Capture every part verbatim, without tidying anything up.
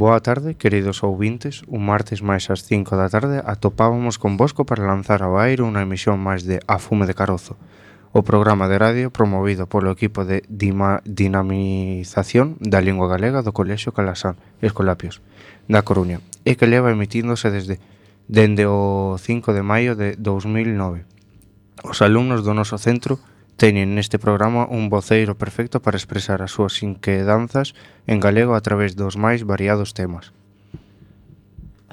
Boa tarde, queridos ouvintes. Un martes máis ás cinco da tarde atopábamos con Bosco para lanzar ao aire unha emisión máis de A Fume de Carozo, o programa de radio promovido polo equipo de Dima- dinamización da lingua galega do Colexio Calasán Escolapios da Coruña e que leva emitíndose desde dende o cinco de maio de dous mil nove. Os alumnos do noso centro teñen neste programa un voceiro perfecto para expresar as súas inquedanzas en galego a través dos máis variados temas.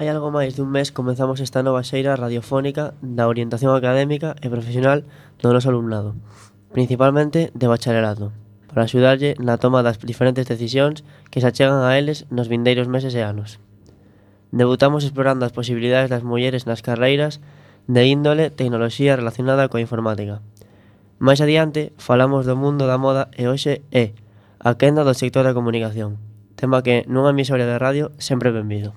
Hai algo máis dun mes comezamos esta nova xeira radiofónica da orientación académica e profesional do noso alumnado, principalmente de bacharelato, para axudarlle na toma das diferentes decisións que se achegan a eles nos vindeiros meses e anos. Debutamos explorando as posibilidades das mulleres nas carreiras de índole tecnoloxía relacionada coa informática. Mais adiante, falamos do mundo da moda e hoxe é a quenda do sector da comunicación, tema que nunha emisora de radio sempre benvido.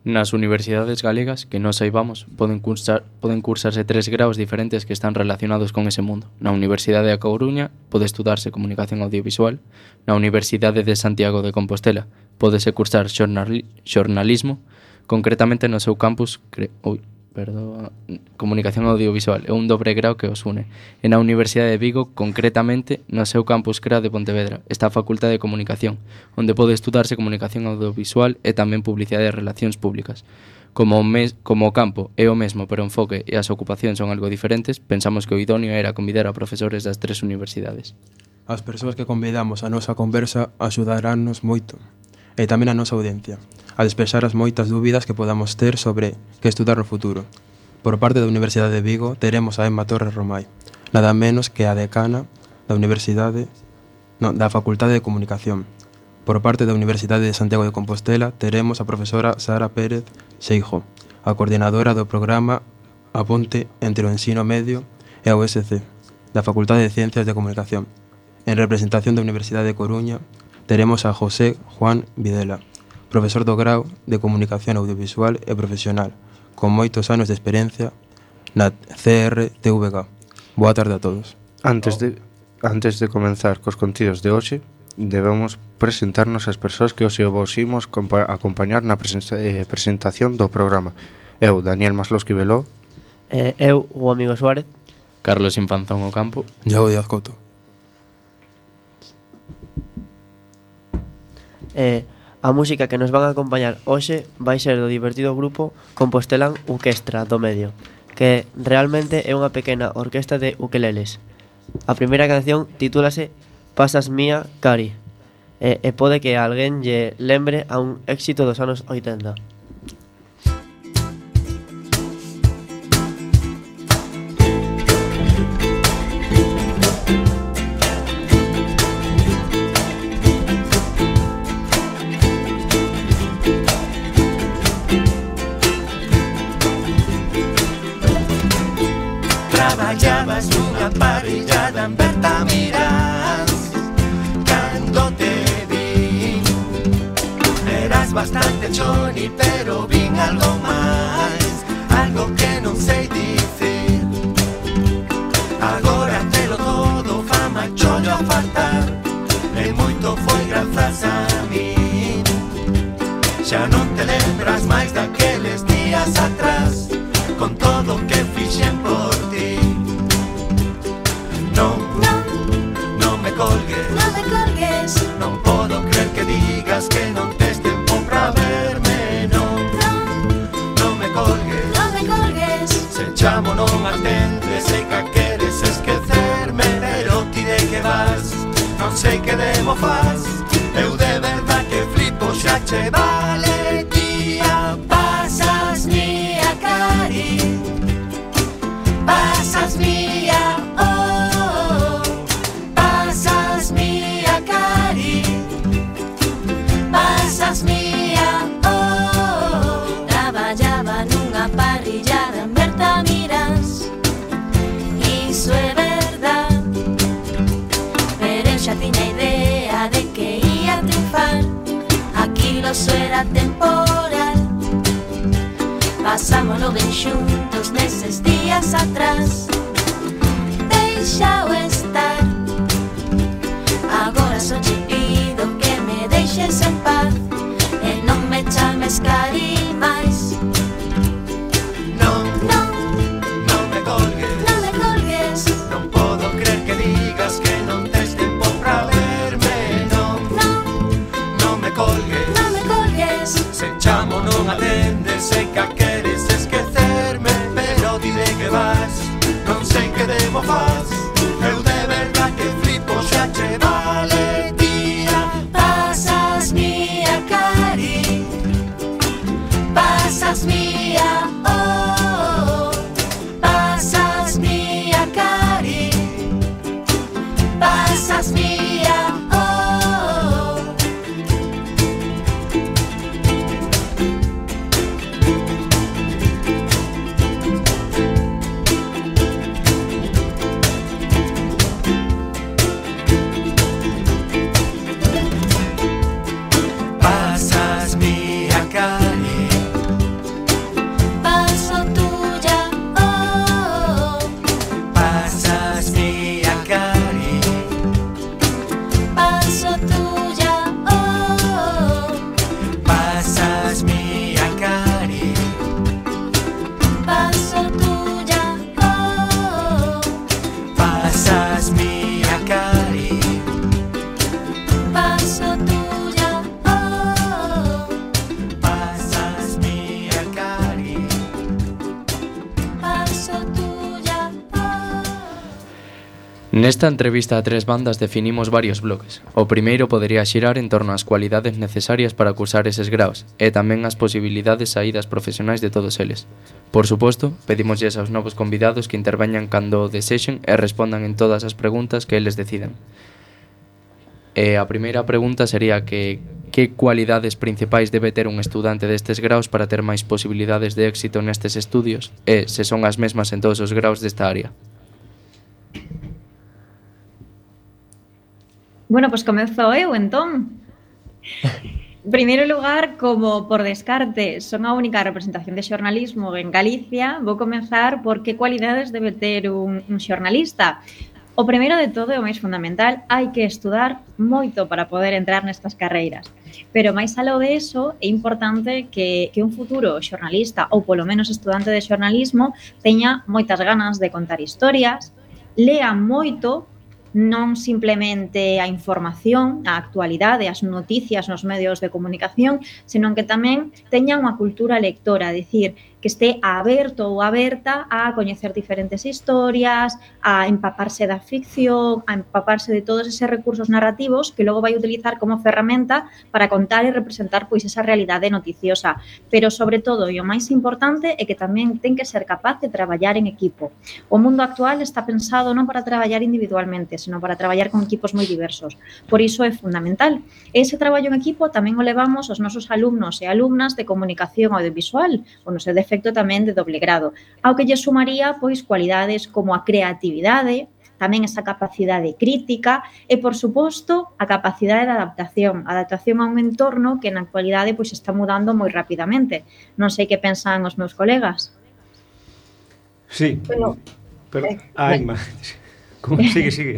Nas universidades galegas, que non saibamos, poden cursar, poden cursarse tres graus diferentes que están relacionados con ese mundo. Na Universidade da Coruña pode estudarse comunicación audiovisual, na Universidade de Santiago de Compostela pódese cursar xornali, xornalismo, concretamente no seu campus cre, ui, perdón, comunicación audiovisual, é un dobre grau que os une. E na Universidade de Vigo, concretamente, no seu campus C R A de Pontevedra, está a Facultade de Comunicación, onde pode estudarse comunicación audiovisual e tamén publicidade e relacións públicas. Como o, mes, como o campo é o mesmo, pero o enfoque e as ocupacións son algo diferentes, pensamos que o idóneo era convidar a profesores das tres universidades. As persoas que convidamos a nosa conversa axudaránnos moito, e tamén a nosa audiencia, a despexar as moitas dúbidas que podamos ter sobre que estudar no futuro. Por parte da Universidade de Vigo teremos a Emma Torres Romai, nada menos que a decana da Universidade, non, da Facultade de Comunicación. Por parte da Universidade de Santiago de Compostela teremos a profesora Sara Pérez Seijo, a coordinadora do programa A Ponte entre o ensino medio e a U S C, da Facultade de Ciencias de Comunicación. En representación da Universidade de Coruña teremos a José Juan Videla, profesor do grau de Comunicación Audiovisual e Profesional, con moitos anos de experiencia na C R T V G. Boa tarde a todos. Antes de, antes de comenzar cos contidos de hoxe, debemos presentarnos as persoas que hoxe vos imos acompañar na presentación do programa. Eu, Daniel Masloski Veló. Eh, eu, o amigo Suárez. Carlos Infanzón Ocampo. Iago Díaz Couto. Eh, a música que nos van a acompañar hoxe vai ser do divertido grupo Compostelán Uquestra do Medio, que realmente é unha pequena orquesta de ukeleles. A primeira canción titúlase Pasas Mía Cari, e, e pode que alguén lle lembre a un éxito dos anos oitenta. Traballabas nunha parrillada en Bertamiras. Cando te vi eras bastante choni, pero vin algo máis, algo que non sei dicir. Agora telo todo, fama, chollo a faltar, e moito foi grazas a mí. Xa non te lembras máis daqueles días atrás, con todo o que fixen por ti. Non, non, non me colgues, non me colgues, non podo creer que digas que non tes tempo pra verme. Non, non, non me colgues, non me colgues, se chamo non atendes, sei que queres esquecerme, pero ti de que vas, non sei que demo faz. Eu de verdad que flipo, xa che vale, tía. Pasas mía cari, pasas mía, oh, pasas mía cari, pasas mía, oh. traballaba nunha parrillada en Bertamiras, iso é verdad, pero eu xa tiña idea de que ia triunfar, aquilo só era temporal. Pasámoslo ben xuntos neses días atrás, deixao estar. Agora só che pido que me deixes en paz e non me chames cari máis. Non, Non, non me colgues, non me colgues, non podo creer que digas que non tes tempo pra verme. Non, non, non me colgues, non me colgues, se chamo non atendes, sei que queres esquecerme, pero di de que vas, non sei que demo faz. Eu de verdad que flipo, xa che vale, tía. pasas mía cari, pasas mía, oh, pasas mía cari, pasas mía, oh. Nesta entrevista a tres bandas definimos varios bloques. O primeiro podería xirar en torno ás cualidades necesarias para cursar eses graos e tamén as posibilidades saídas profesionais de todos eles. Por suposto, pedimosles aos novos convidados que interveñan cando o desexen e respondan en todas as preguntas que eles decidan. E a primeira pregunta sería que que cualidades principais debe ter un estudante destes graos para ter máis posibilidades de éxito nestes estudios e se son as mesmas en todos os graos desta área. Bueno, pues comezo eu, entón. Primeiro lugar, como por descarte son a única representación de xornalismo en Galicia, vou comenzar por que cualidades debe ter un, un xornalista. O primeiro de todo é o máis fundamental, hai que estudar moito para poder entrar nestas carreiras. Pero máis aló de eso, é importante que, que un futuro xornalista, ou polo menos estudante de xornalismo, teña moitas ganas de contar historias, lea moito, non simplemente a información, a actualidade, as noticias nos medios de comunicación, senón que tamén teña unha cultura lectora, dicir, que este aberto ou aberta a coñecer diferentes historias, a empaparse da ficción, a empaparse de todos eses recursos narrativos que logo vai utilizar como ferramenta para contar e representar pois esa realidade noticiosa. Pero, sobre todo, e o máis importante, é que tamén ten que ser capaz de traballar en equipo. O mundo actual está pensado non para traballar individualmente, senón para traballar con equipos moi diversos. Por iso é fundamental. Ese traballo en equipo tamén o levamos aos nosos alumnos e alumnas de comunicación audiovisual, ou no seu defecto tamén de doble grado, ao que lle sumaría pois cualidades como a creatividade, tamén esa capacidade crítica e, por suposto, a capacidade de adaptación, adaptación a un entorno que na actualidade pois está mudando moi rapidamente. Non sei que pensan os meus colegas. Sí, bueno, pero... eh, Ai, ma... Sigue, sigue.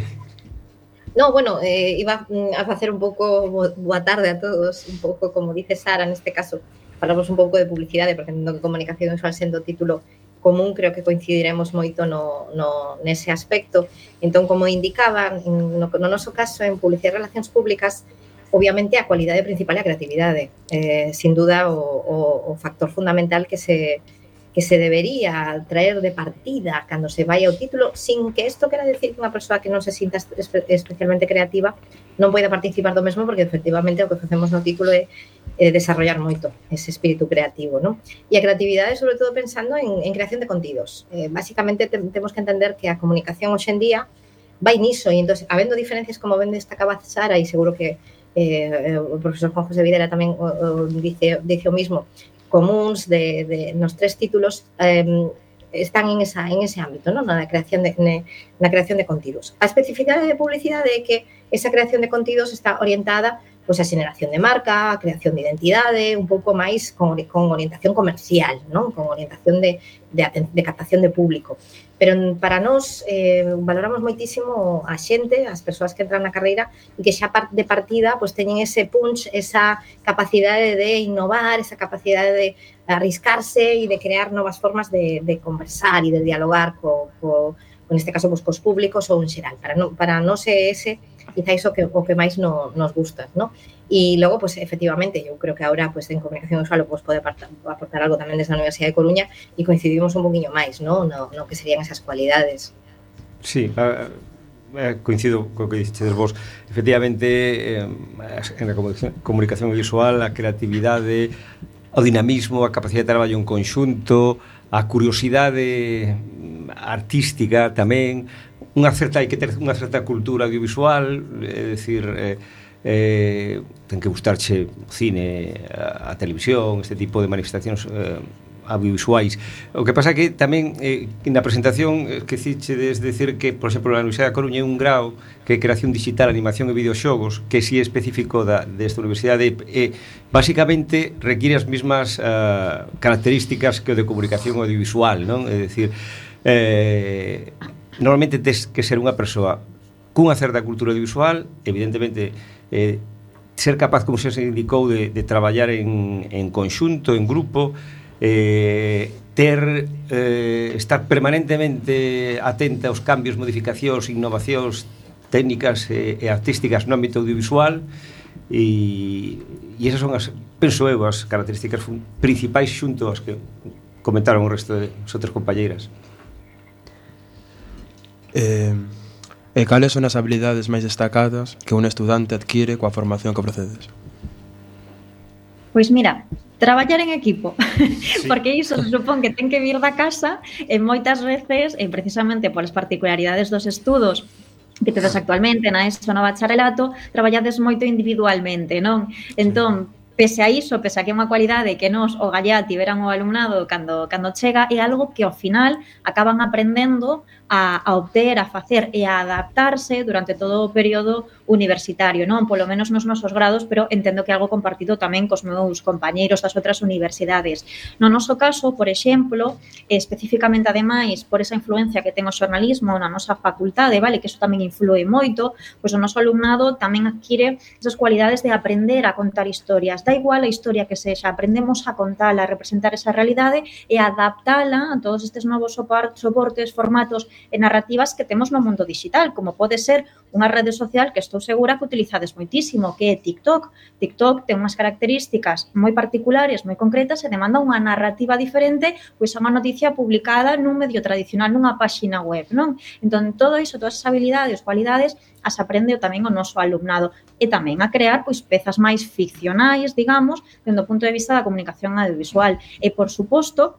No, bueno, eh, iba a facer un pouco boa tarde a todos, un pouco como dice Sara, neste caso, falamos un pouco de publicidade, porque entendo que comunicación visual sendo o título común, creo que coincidiremos moito no, no, nese aspecto. Entón, como indicaba, no, no noso caso, en publicidade e relacións públicas, obviamente a cualidade principal é a creatividade. Eh, sin duda, o, o, o factor fundamental que se, que se debería traer de partida cando se vai ao título, sin que isto quera decir que unha persoa que non se sinta espe especialmente creativa non poida participar do mesmo, porque efectivamente o que facemos no título é eh, desarrollar moito ese espírito creativo, ¿no? E a creatividade, sobre todo, pensando en, en creación de contidos. Eh, básicamente, te, temos que entender que a comunicación hoxe en día vai niso, e entón, habendo diferencias, como ben destacaba Sara, e seguro que eh, o profesor Juan José Videla tamén o, o dice, dice o mismo, comuns de, de nos tres títulos, eh, están en, esa, en ese ámbito, ¿no? Na creación de, na creación de contidos. A especificidade de publicidade é que esa creación de contidos está orientada pois a xeneración de marca, a creación de identidade, un pouco máis con, con orientación comercial, non? Con orientación de, de, de captación de público. Pero para nós eh, valoramos moitísimo a xente, as persoas que entran na carreira e que xa de partida pois teñen ese punch, esa capacidade de innovar, esa capacidade de arriscarse e de crear novas formas de, de conversar e de dialogar co, co, neste caso pois, cos públicos ou en xeral. Para, no, para nós é ese quizá iso que o que máis no, nos gusta, ¿no? E logo, pues, efectivamente, eu creo que agora, pues, en comunicación visual pues, pode aportar, aportar algo tamén desde a Universidade de Coruña e coincidimos un poquinho máis, ¿no? No, no que serían esas cualidades. Sí, uh, coincido co que dixedes vos. Efectivamente, eh, en a comunicación visual, a creatividade, o dinamismo, a capacidade de traballo en conxunto, a curiosidade artística tamén, unha certa, hai que ter unha certa cultura audiovisual, é dicir, eh, eh, ten que gustarche o cine, a, a televisión, este tipo de manifestacións eh, audiovisuais. O que pasa que tamén eh, na presentación eh, que ciche des decir que, por exemplo, na Universidade da Coruña é un grau que é creación digital, animación e videoxogos, que si é específico da, desta universidade, e eh, basicamente require as mesmas uh, características que o de comunicación audiovisual, non? É dicir, eh, normalmente tes que ser unha persoa cunha certa cultura audiovisual, evidentemente eh, ser capaz, como se indicou, de, de traballar en, en conxunto, en grupo, eh, ter eh, estar permanentemente atenta aos cambios, modificacións, innovacións técnicas e, e artísticas no ámbito audiovisual, e, e esas son as, penso eu, as características principais xunto as que comentaron o resto de as outras compañeiras. Eh, E cales son as habilidades máis destacadas que un estudante adquire coa formación que procedes? Pois mira, traballar en equipo, sí. Porque iso se supón que ten que vir da casa e moitas veces, e precisamente polas particularidades dos estudos que tedes actualmente na ESO no bacharelato, traballades moito individualmente, non? Entón, pese a iso, pese a que é unha cualidade que nos o Gallá tiveran o alumnado cando, cando chega, é algo que ao final acaban aprendendo a, a obter, a facer e a adaptarse durante todo o período universitario, non? Polo menos nos nosos grados, pero entendo que é algo compartido tamén cos meus compañeiros das outras universidades. No noso caso, por exemplo, especificamente ademais por esa influencia que ten o xornalismo na nosa facultade, vale, que iso tamén influe moito, pois o noso alumnado tamén adquire esas cualidades de aprender a contar historias. Da igual a historia que sexa, aprendemos a contala, a representar esa realidade e a adaptala a todos estes novos soportes, formatos e narrativas que temos no mundo digital, como pode ser unha rede social que estou segura que utilizades moitísimo, que é TikTok. TikTok ten unhas características moi particulares, moi concretas e demanda unha narrativa diferente pois a unha noticia publicada nun medio tradicional, nunha páxina web, non? Entón, todo iso, todas as habilidades, cualidades, as aprende tamén o noso alumnado e tamén a crear pois pezas máis ficcionais, digamos, dende o punto de vista da comunicación audiovisual. E, por suposto,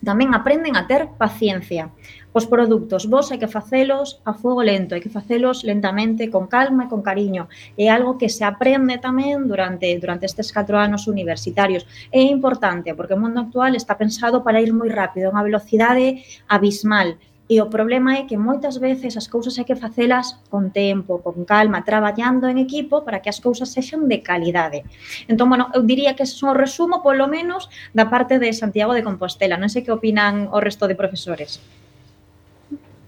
tamén aprenden a ter paciencia. Os produtos vos hai que facelos a fogo lento, hai que facelos lentamente, con calma e con cariño. É algo que se aprende tamén durante, durante estes catro anos universitarios. É importante, porque o mundo actual está pensado para ir moi rápido, a unha velocidade abismal. E o problema é que moitas veces as cousas hai que facelas con tempo, con calma, traballando en equipo para que as cousas sexan de calidade. Entón, bueno, eu diría que ese é un resumo, polo menos, da parte de Santiago de Compostela. Non sei que opinan o resto de profesores.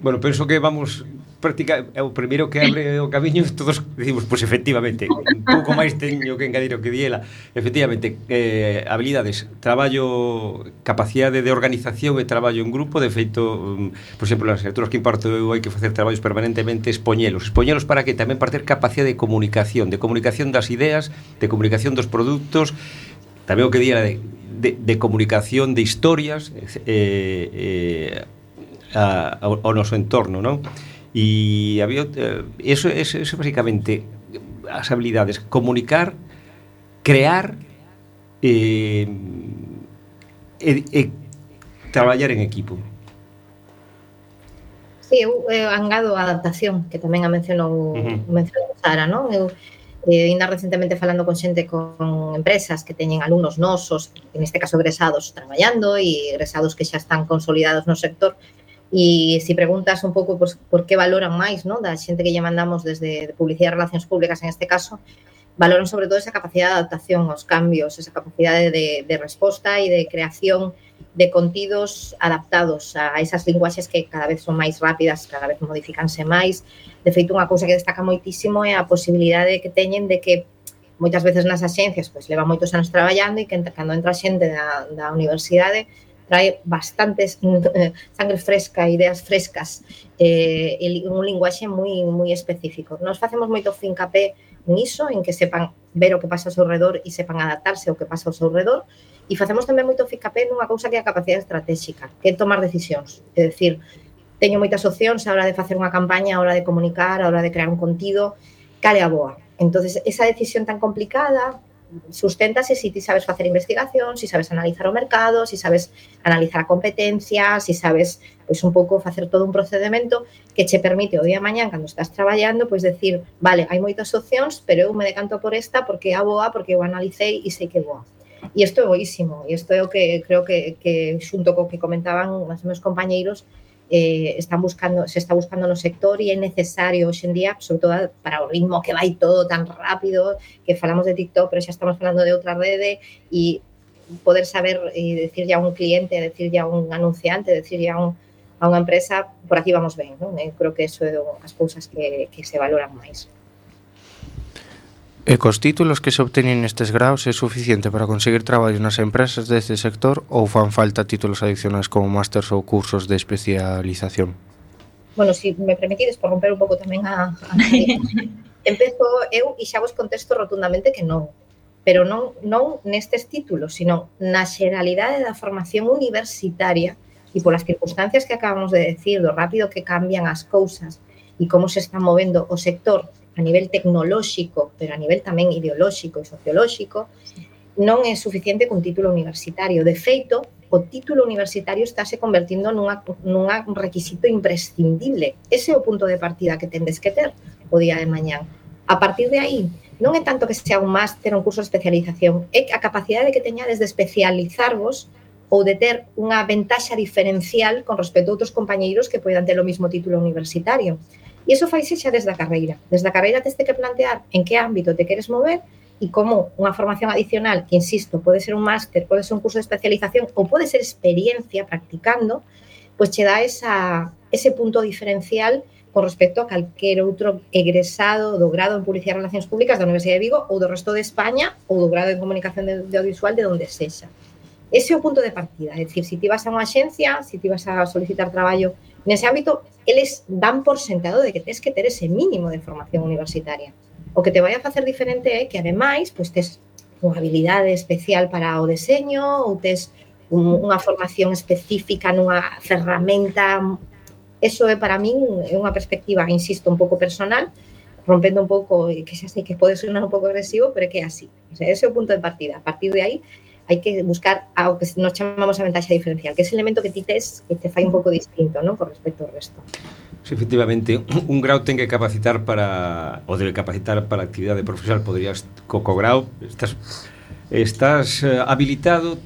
Bueno, penso que vamos practicar o primeiro que abre o camiño, todos decimos, pois pues, efectivamente, un pouco máis teño que engadir o que diela. Efectivamente, eh, habilidades, traballo, capacidade de organización e traballo en grupo. De feito, um, por exemplo, nas asignaturas que imparto eu hai que facer traballos permanentemente, expoñelos. Expoñelos para que tamén para ter capacidade de comunicación, de comunicación das ideas, de comunicación dos produtos, tamén o que diela de, de, de comunicación de historias, eh, eh, A, ao, ao noso entorno, non? E había eh, eso, eso, eso basicamente as habilidades, comunicar, crear e, e, e traballar en equipo. Sí, eu eh, angado a adaptación, que tamén a mencionou, uh-huh. mencionou Sara, non? Eu eh, ainda recentemente falando con xente con empresas que teñen alumnos nosos, en este caso egresados traballando e egresados que xa están consolidados no sector. E se preguntas un pouco pues, por que valoran máis, ¿no? Da xente que lle mandamos desde Publicidade e Relacións Públicas en este caso, valoran sobre todo esa capacidade de adaptación aos cambios, esa capacidade de, de resposta e de creación de contidos adaptados a esas linguaxes que cada vez son máis rápidas, cada vez modificanse máis. De feito, unha cousa que destaca moitísimo é a posibilidade que teñen de que moitas veces nas axencias pues, leva moitos anos traballando e que cando entra xente da, da universidade trae bastantes eh, sangre fresca, ideas frescas, eh, un linguaxe moi moi específico. Nos facemos moito fincapé niso, en que sepan ver o que pasa ao seu redor e sepan adaptarse ao que pasa ao seu redor, e facemos tamén moito fincapé nunha cousa que é a capacidade estratégica, que é tomar decisións. É dicir, teño moitas opcións a hora de facer unha campaña, a hora de comunicar, a hora de crear un contido, cal é a boa. Entonces, esa decisión tan complicada susténtase se ti sabes facer investigación, se sabes analizar o mercado, se sabes analizar a competencia, se sabes pois un pouco facer todo un procedimento que che permite o día de mañán cando estás traballando, pois decir, vale, hai moitas opcións, pero eu me decanto por esta porque é a boa, porque eu analicei e sei que é boa. E isto é boísimo, e isto é o que creo que, que xunto co que comentaban os meus compañeiros, Eh, están buscando, se está buscando no sector e é necesario hoxe en día, sobre todo para o ritmo que vai todo tan rápido, que falamos de TikTok, pero xa estamos falando de outra rede, e poder saber e decirlle a un cliente, decirlle a un anunciante, decirlle a, un, a unha empresa, por aquí vamos ben, non? Eu creo que eso é as cousas que, que se valoran máis. E cos títulos que se obteñen nestes graus é suficiente para conseguir traballos nas empresas deste sector ou fan falta títulos adicionais como másters ou cursos de especialización? Bueno, se si me permitides, por romper un pouco tamén a... a... Empezo eu e xa vos contesto rotundamente que non, pero non, non nestes títulos, sino na xeralidade da formación universitaria e polas circunstancias que acabamos de decir, do rápido que cambian as cousas e como se está movendo o sector a nivel tecnolóxico, pero a nivel tamén ideolóxico e sociolóxico, non é suficiente cun título universitario. De feito, o título universitario estáse convertindo nunha, nunha requisito imprescindible. Ese é o punto de partida que tendes que ter o día de mañán. A partir de aí, non é tanto que sea un máster ou un curso de especialización, é a capacidade que teñades de especializarvos ou de ter unha ventaxa diferencial con respecto a outros compañeiros que poidan ter o mismo título universitario. E iso faise xa desde a carreira. Desde a carreira teste que plantear en que ámbito te queres mover e como unha formación adicional, que insisto, pode ser un máster, pode ser un curso de especialización ou pode ser experiencia practicando, pois che dá esa, ese punto diferencial con respecto a calquer outro egresado do grado en Publicidade e Relacións Públicas da Universidade de Vigo ou do resto de España ou do grado en Comunicación de, de Audiovisual de onde sexa. Ese é o punto de partida, é dicir, se ti vas a unha axencia, se ti vas a solicitar traballo nese ámbito, eles dan por sentado de que tens que ter ese mínimo de formación universitaria. O que te vai a facer diferente é que, ademais, pois tes unha habilidade especial para o deseño ou tes un, unha formación específica nunha ferramenta. Eso é, para min, é unha perspectiva, insisto, un pouco personal, rompendo un pouco, que xa sei que pode sonar un pouco agresivo, pero é que é así. O sea, ese é o punto de partida. A partir de aí, hai que buscar algo que nos chamamos a ventaxa diferencial, que é ese elemento que ti tes que te fai un pouco distinto, non, con respecto ao resto. Sí, efectivamente, un grau ten que capacitar para, ou debe capacitar para a actividade profesional. Poderías, co, co grau, estás, estás uh, habilitado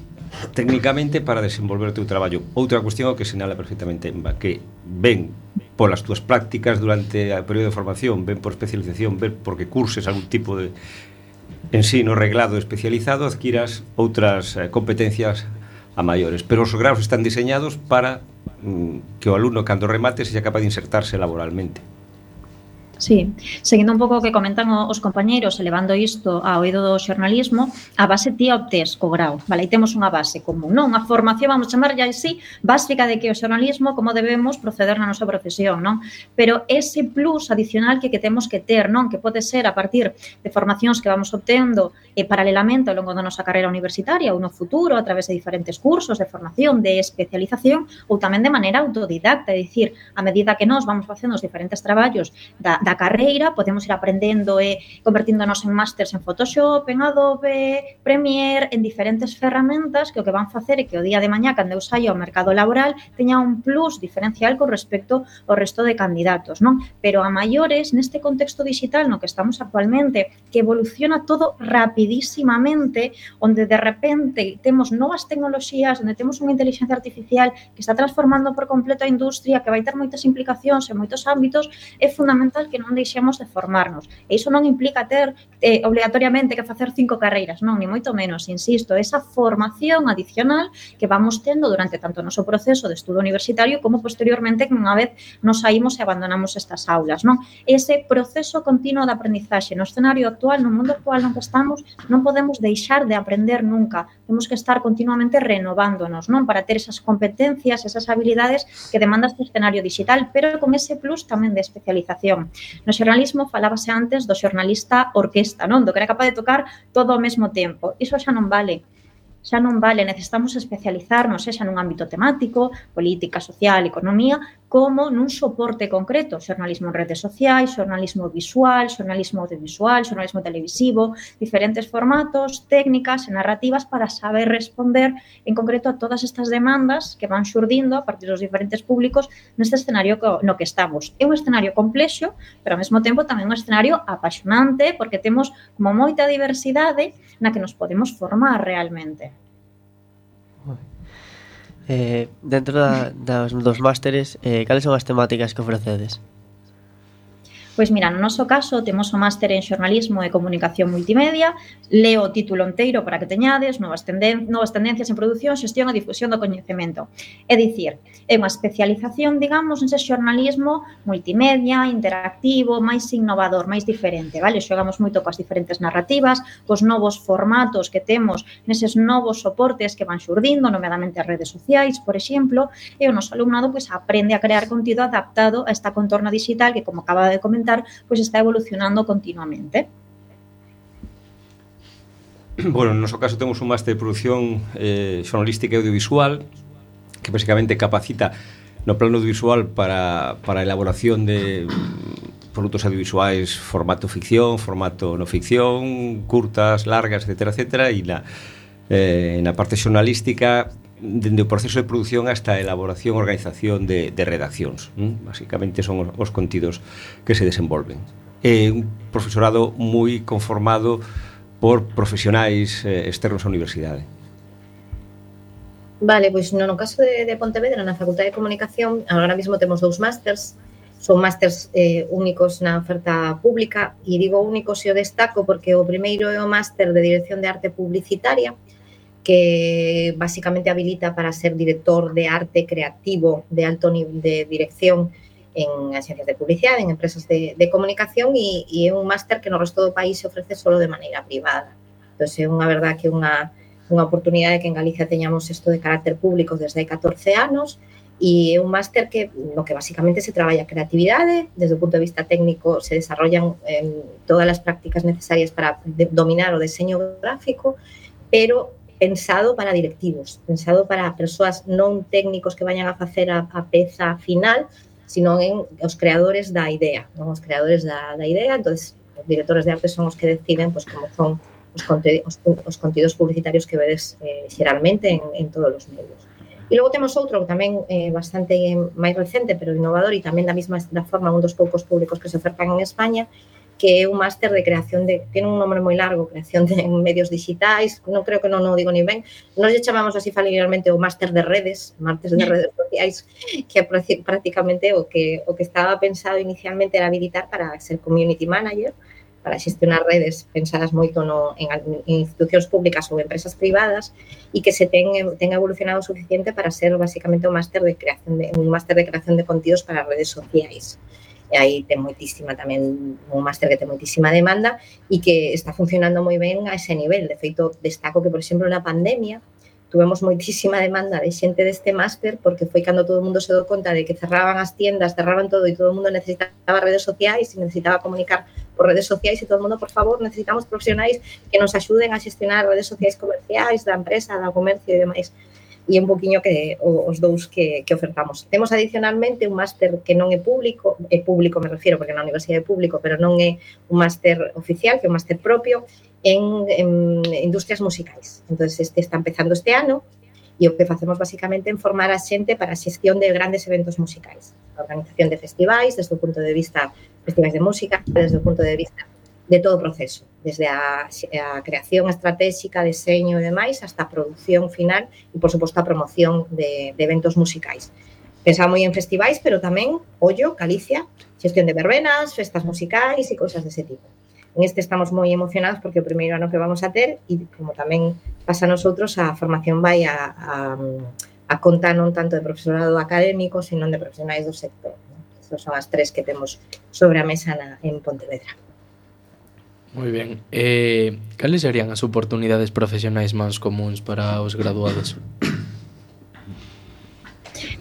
técnicamente para desenvolver o teu traballo. Outra cuestión que sinala perfectamente Emma, que ven polas túas prácticas durante o período de formación, ven por especialización, ven porque curses algún tipo de ensino reglado especializado, adquiras outras eh, competencias a maiores, pero os graus están diseñados para mm, que o alumno, cando remate, sexa capaz de insertarse laboralmente. Sí, seguindo un pouco o que comentan os compañeiros, elevando isto ao oído do xornalismo, a base ti obtés co grau, vale, aí temos unha base común, non? Unha formación, vamos chamarlla así, básica de que o xornalismo, como debemos proceder na nosa profesión, non? Pero ese plus adicional que, que temos que ter, non? Que pode ser a partir de formacións que vamos obtendo eh, paralelamente ao longo da nosa carreira universitaria ou no futuro, a través de diferentes cursos de formación, de especialización, ou tamén de maneira autodidacta, é dicir, a medida que nós vamos facendo os diferentes traballos da da carreira, podemos ir aprendendo e convertíndonos en másters en Photoshop, en Adobe, Premiere, en diferentes ferramentas que o que van facer é que o día de mañá, cando eu saio ao mercado laboral, teña un plus diferencial con respecto ao resto de candidatos, non? Pero a maiores, neste contexto digital no que estamos actualmente, que evoluciona todo rapidísimamente, onde de repente temos novas tecnoloxías, onde temos unha inteligencia artificial que está transformando por completo a industria, que vai ter moitas implicacións en moitos ámbitos, é fundamental que que non deixemos de formarnos. E iso non implica ter eh, obligatoriamente que facer cinco carreiras, non, ni moito menos, insisto, esa formación adicional que vamos tendo durante tanto o noso proceso de estudo universitario como posteriormente que unha vez nos saímos e abandonamos estas aulas, non? Ese proceso continuo de aprendizaxe no escenario actual, no mundo actual no que estamos, non podemos deixar de aprender nunca. Temos que estar continuamente renovándonos, non? Para ter esas competencias, esas habilidades que demanda este escenario digital, pero con ese plus tamén de especialización. No xornalismo falábase antes do xornalista orquesta, non? Do que era capaz de tocar todo ao mesmo tempo. Iso xa non vale. Xa non vale, necesitamos especializarnos, xa nun ámbito temático, política, social, economía, como nun soporte concreto, xornalismo en redes sociais, xornalismo visual, xornalismo audiovisual, xornalismo televisivo, diferentes formatos, técnicas e narrativas para saber responder en concreto a todas estas demandas que van xurdindo a partir dos diferentes públicos neste escenario no que estamos. É un escenario complexo, pero ao mesmo tempo tamén un escenario apaixonante porque temos como moita diversidade na que nos podemos formar realmente. Eh, dentro da, das, dos másteres, eh, cales son as temáticas que ofrecedes? Pois mira, no noso caso temos o máster en xornalismo e comunicación multimedia, leo o título inteiro para que teñades, novas, tenden novas tendencias en produción, xestión e difusión do coñecemento. É dicir, é unha especialización, digamos, nese xornalismo multimedia, interactivo, máis innovador, máis diferente, vale? Xogamos moito coas diferentes narrativas, cos novos formatos que temos neses novos soportes que van xurdindo, nomeadamente as redes sociais, por exemplo, e o noso alumnado pois, aprende a crear contido adaptado a esta contorna digital que, como acaba de comentar, pois está evolucionando continuamente. Bueno, no noso caso temos un máster de produción eh, xornalística e audiovisual que basicamente capacita no plano audiovisual para, para a elaboración de produtos audiovisuais formato ficción, formato no ficción, curtas, largas, etcétera, etcétera, e na, eh, na parte xornalística dende o proceso de produción hasta a elaboración e organización de, de redaccións. ¿Mm? Básicamente son os, os contidos que se desenvolven. É un profesorado moi conformado por profesionais eh, externos á universidade. Vale, pois no, no caso de, de Pontevedra, na Facultade de Comunicación, agora mesmo temos dous másters, son másters eh, únicos na oferta pública, e digo únicos e o destaco porque o primeiro é o máster de Dirección de Arte Publicitaria, que basicamente habilita para ser director de arte creativo de alto nivel de dirección en agencias de publicidade, en empresas de, de comunicación, e, e é un máster que no resto do país se ofrece solo de maneira privada. Entón, é unha verdad que unha unha oportunidade que en Galicia teñamos isto de carácter público desde hai catorce anos, e é un máster que no que basicamente se traballa a creatividade, desde o punto de vista técnico se desarrollan eh, todas as prácticas necesarias para de, dominar o deseño gráfico, pero pensado para directivos, pensado para persoas non técnicos que vayan a facer a, a peza final, sino en os creadores da idea, non os creadores da, da idea. Entonces, os directores de arte son os que deciden pues, como son os, conte os, os contidos publicitarios que vedes eh, xeralmente en, en todos os medios. E logo temos outro que tamén é eh, bastante eh, máis recente, pero innovador, e tamén da mesma da forma un dos poucos públicos que se ofertan en España, que é un máster de creación de, tiene un nombre moi largo, creación de medios digitais, non creo que non o digo ni ben, nos lle chamamos así familiarmente o máster de redes, máster de redes sociais, que é prácticamente o que, o que estaba pensado inicialmente era habilitar para ser community manager, para xestionar redes pensadas moito no, en, en institucións públicas ou empresas privadas, e que se ten, ten evolucionado o suficiente para ser basicamente un máster de creación de, un máster de creación de contidos para redes sociais. E aí ten moitísima tamén, un máster que ten moitísima demanda e que está funcionando moi ben a ese nivel. De feito, destaco que, por exemplo, na pandemia tuvemos moitísima demanda de xente deste máster, porque foi cando todo o mundo se dou conta de que cerraban as tiendas, cerraban todo, e todo o mundo necesitaba redes sociais e necesitaba comunicar por redes sociais, e todo o mundo, por favor, necesitamos profesionais que nos axuden a xestionar redes sociais comerciais da empresa, da comercio e demais. E un poquinho que os dous que, que ofertamos. Temos adicionalmente un máster que non é público, é público me refiero porque na universidade é público, pero non é un máster oficial, que é un máster propio en, en industrias musicais. Entón, este está empezando este ano, e o que facemos basicamente é formar a xente para a xestión de grandes eventos musicais. A organización de festivais, desde o punto de vista festivais de música, desde o punto de vista de todo o proceso, desde a, a creación estratégica, deseño e demais, hasta a produción final e, por suposto, a promoción de, de eventos musicais. Pensaba moi en festivais, pero tamén, ollo, Galicia, xestión de verbenas, festas musicais e cousas dese tipo. En este estamos moi emocionados porque o primeiro ano que vamos a ter, e como tamén pasa a nosotros, a formación vai a, a, a conta non tanto de profesorado académico, sino de profesionais do sector. Estas son as tres que temos sobre a mesa na, en Pontevedra. Moi ben. Eh, cales serían as oportunidades profesionais máis comuns para os graduados?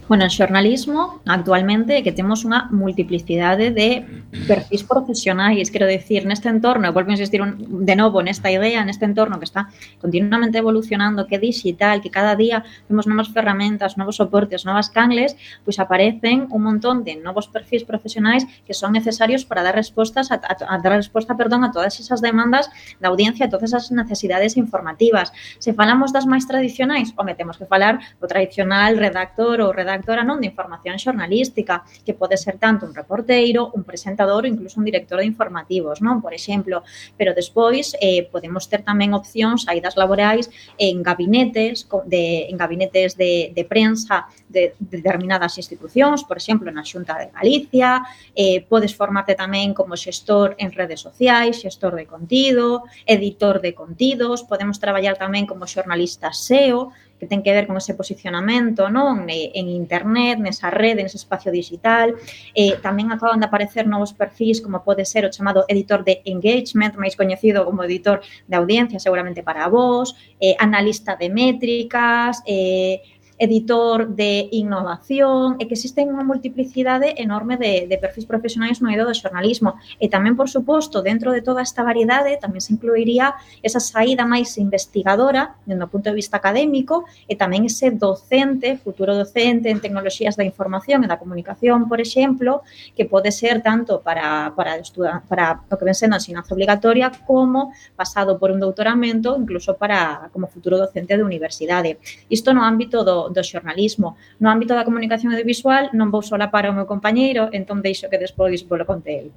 Bueno, en xornalismo, actualmente, que temos unha multiplicidade de perfis profesionais, quero dicir, neste entorno, volvo a insistir un, de novo nesta idea, neste entorno que está continuamente evolucionando, que é digital, que cada día vemos novas ferramentas, novos soportes, novas cangles, pois aparecen un montón de novos perfis profesionais que son necesarios para dar respostas a, a, a dar resposta, perdón, a todas esas demandas da audiencia, a todas esas necesidades informativas. Se falamos das máis tradicionais, home, temos que falar do tradicional redactor ou redactor redactora non de información xornalística, que pode ser tanto un reporteiro, un presentador ou incluso un director de informativos, non? Por exemplo, pero despois eh, podemos ter tamén opcións, saídas laborais en gabinetes de, en gabinetes de, de prensa de, de determinadas institucións, por exemplo, na Xunta de Galicia, eh, podes formarte tamén como xestor en redes sociais, xestor de contido, editor de contidos, podemos traballar tamén como xornalista S E O, que ten que ver con ese posicionamento, non? En internet, nesa rede, nese espacio digital. Eh, tamén acaban de aparecer novos perfis, como pode ser o chamado editor de engagement, máis coñecido como editor de audiencia, seguramente para vos, eh, analista de métricas, eh, editor de innovación, e que existen unha multiplicidade enorme de, de perfis profesionais no eido do xornalismo. E tamén, por suposto, dentro de toda esta variedade, tamén se incluiría esa saída máis investigadora, dentro do punto de vista académico, e tamén ese docente, futuro docente en tecnoloxías da información e da comunicación, por exemplo, que pode ser tanto para, para, estudar, para o que ven sendo a ensinanza obligatoria como pasado por un doutoramento, incluso para como futuro docente de universidade. Isto no ámbito do, do xornalismo. No ámbito da comunicación audiovisual non vou solapar ao meu compañeiro, entón deixo que despois vou lo conte el.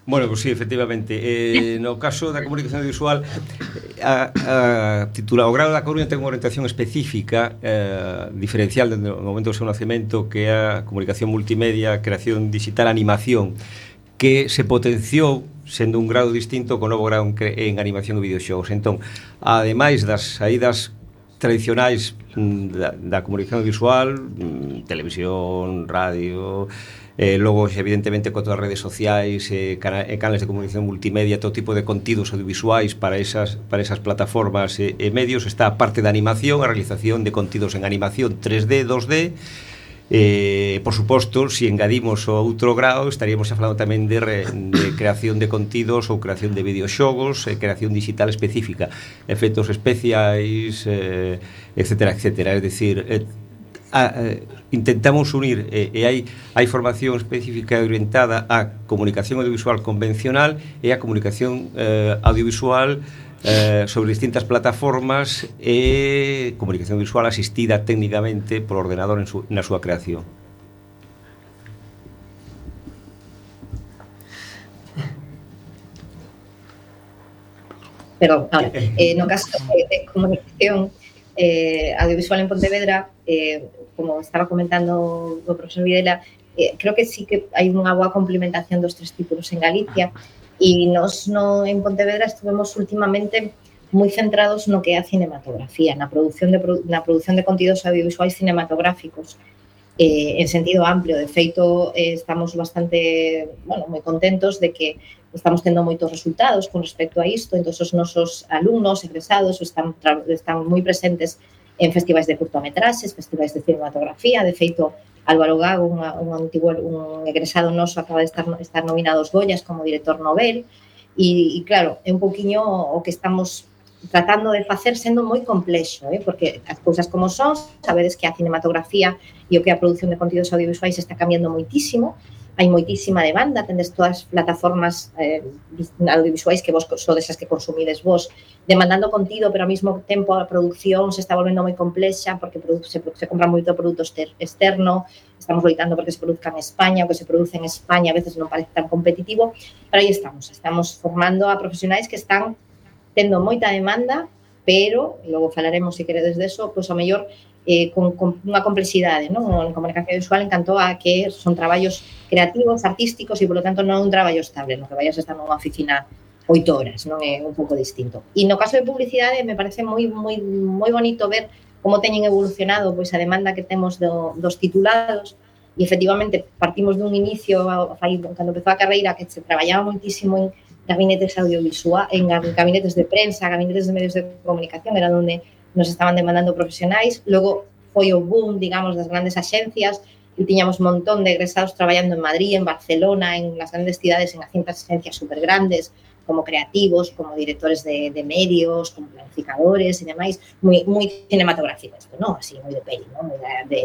Bueno, pues sí, efectivamente. Eh, no caso da comunicación audiovisual, a, a titular, o grado da Coruña ten unha orientación específica, eh, diferencial desde o momento do seu nacemento, que é a comunicación multimedia, creación digital, animación, que se potenciou sendo un grado distinto co novo grado en, en animación e videoxogos. Entón, ademais das saídas tradicionais da, da comunicación audiovisual, televisión, radio, eh, logo, evidentemente, con todas as redes sociais, eh, cana, eh, canales de comunicación multimedia, todo tipo de contidos audiovisuais para esas, para esas plataformas e eh, eh, medios, está a parte da animación, a realización de contidos en animación tres D, dos D. Eh, por suposto, se si engadimos o outro grau, estaríamos falando tamén de, re, de creación de contidos ou creación de videoxogos, eh, creación digital específica, efectos especiais, eh, etcétera, etcétera. Es decir, eh, a, eh, intentamos unir eh, e hai, hai formación específica orientada á comunicación audiovisual convencional e á comunicación eh, audiovisual eh, sobre distintas plataformas e comunicación visual asistida técnicamente por ordenador en su, na súa creación. Perdón, ahora, eh, no caso de, de comunicación eh, audiovisual en Pontevedra, eh, como estaba comentando o profesor Videla, eh, creo que sí que hai unha boa complementación dos tres títulos en Galicia. E nos no, en Pontevedra estuvemos últimamente moi centrados no que é a cinematografía, na produción de, na produción de contidos audiovisuais cinematográficos, eh, en sentido amplio. De feito, eh, estamos bastante, bueno, moi contentos de que estamos tendo moitos resultados con respecto a isto. Entón, os nosos alumnos, egresados, están, están moi presentes en festivais de curtometraxes, festivais de cinematografía. De feito, Álvaro Gago, un, un, antigo, un egresado noso, acaba de estar, estar nominado aos Goyas como director novel. E, e claro, é un poquinho o que estamos tratando de facer sendo moi complexo, eh? Porque as cousas como son, sabedes que a cinematografía e o que a produción de contidos audiovisuais está cambiando moitísimo, hai moitísima demanda, tendes todas as plataformas eh, audiovisuais que vos sodes as que consumides vos, demandando contido, pero ao mesmo tempo a produción se está volvendo moi complexa porque se, se compra moito produto externo, estamos loitando porque se produzca en España, o que se produce en España a veces non parece tan competitivo, pero aí estamos, estamos formando a profesionais que están tendo moita demanda, pero, logo falaremos se queredes deso, pois ao mellor eh, con, con unha complexidade, non? En comunicación visual encantou a que son traballos creativos, artísticos e, polo tanto, non é un traballo estable, no que vayas a estar nunha oficina oito horas, non é un pouco distinto. E no caso de publicidade me parece moi moi moi bonito ver como teñen evolucionado pois a demanda que temos do, dos titulados e, efectivamente, partimos dun inicio, fai, cando empezou a carreira, que se traballaba moitísimo en gabinetes audiovisual, en gabinetes de prensa, gabinetes de medios de comunicación, era onde nos estaban demandando profesionais. Logo foi o boom, digamos, das grandes axencias e tiñamos un montón de egresados traballando en Madrid, en Barcelona, en las grandes cidades, en cintas agencias super grandes, como creativos, como directores de, de medios, como planificadores e demais, moi, moi cinematográficos, non? Así, moi de peli, non? Moi de, de...